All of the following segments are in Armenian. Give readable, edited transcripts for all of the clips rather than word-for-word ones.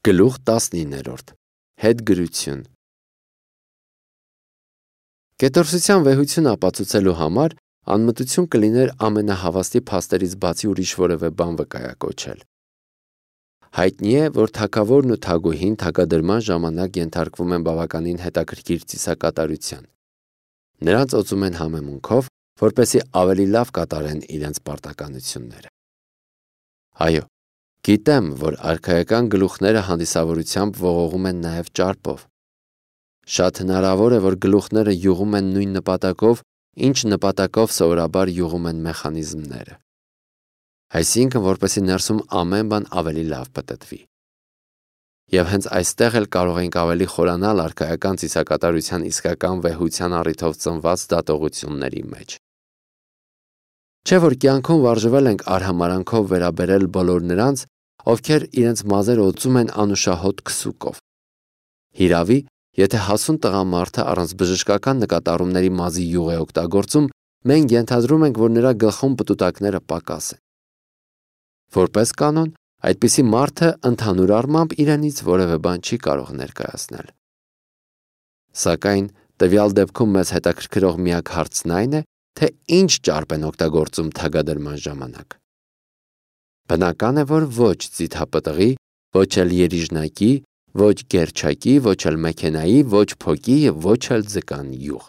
Գլուխ 19 Հետգրություն Կետորսության վեհություն ապացուցելու համար անմտություն կլիներ ամենահավաստի փաստերից բացի ուրիշ որևէ բան վկայակոչել։ Հայտնի է, որ թագավորն ու թագուհին թագադրման ժամանակ ենթարկվում են բավականին հետաքրքիր ծիսակատարության։ Նրանց օծում են համեմունքով, որպեսզի ավելի լավ կատարեն իրենց պարտականությունները։ Այո, գիտեմ, որ արքայական գլուխները հանդիսավորությամբ ողողում են նաև ճարպով։ Շատ հնարավոր է, որ գլուխները յուղում են նույն նպատակով, ինչ նպատակով սովորաբար յուղում են մեխանիզմները։ Այսինքն, որպեսզի ներսում ամեն բան ավելի լավ պտտվի։ Եվ հենց այստեղ էլ կարող ենք ավելի խորանալ արքայական ծիսակատարության իսկական վեհության առիթով ծնված դատողությունների մեջ։ Չէ՞ որ կյանքում վարժվել ենք արհամարանքով վերաբերել բոլոր նրանց, ովքեր իրենց մազերը օծում են անուշահոտ քսուկով։ Հիրավի, եթե հասուն տղամարդը առանց բժշկական նկատառումների մազի յուղ է օգտագործում, մենք ենթադրում ենք, որ նրա գլխում պտուտակները պակաս են։ Որպես կանոն, այդպիսի մարդը ընդհանուր առմամբ իրենից որևէ բան չի կարող ներկայացնել։ Սակայն տվյալ դեպքում մեզ հետաքրքրող միակ հարցն այն է, թե ինչ ճարպ են օգտագործում թագադրման ժամանակ։ Բնական է, որ ոչ ձիթապտղի, ոչ էլ երիժնակի, ոչ գերչակի, ոչ էլ մեքենայի, ոչ փոկի և ոչ էլ ձկան յուղ։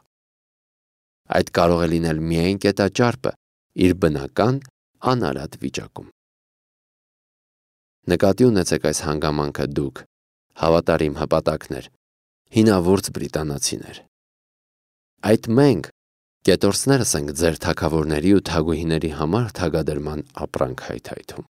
Այդ կարող է լինել միայն կետաճարպը իր բնական անարատ վիճակում։ Նկատի ունեցեք այս հանգամանքը դուք, հավատարիմ հպատակներ, հինավուրց բրիտանացիներ։ Այդ մենք, կետորսներս ենք ձեր թագավորների ու թագուհիների համար թագադրման ապրանք հայթայթում։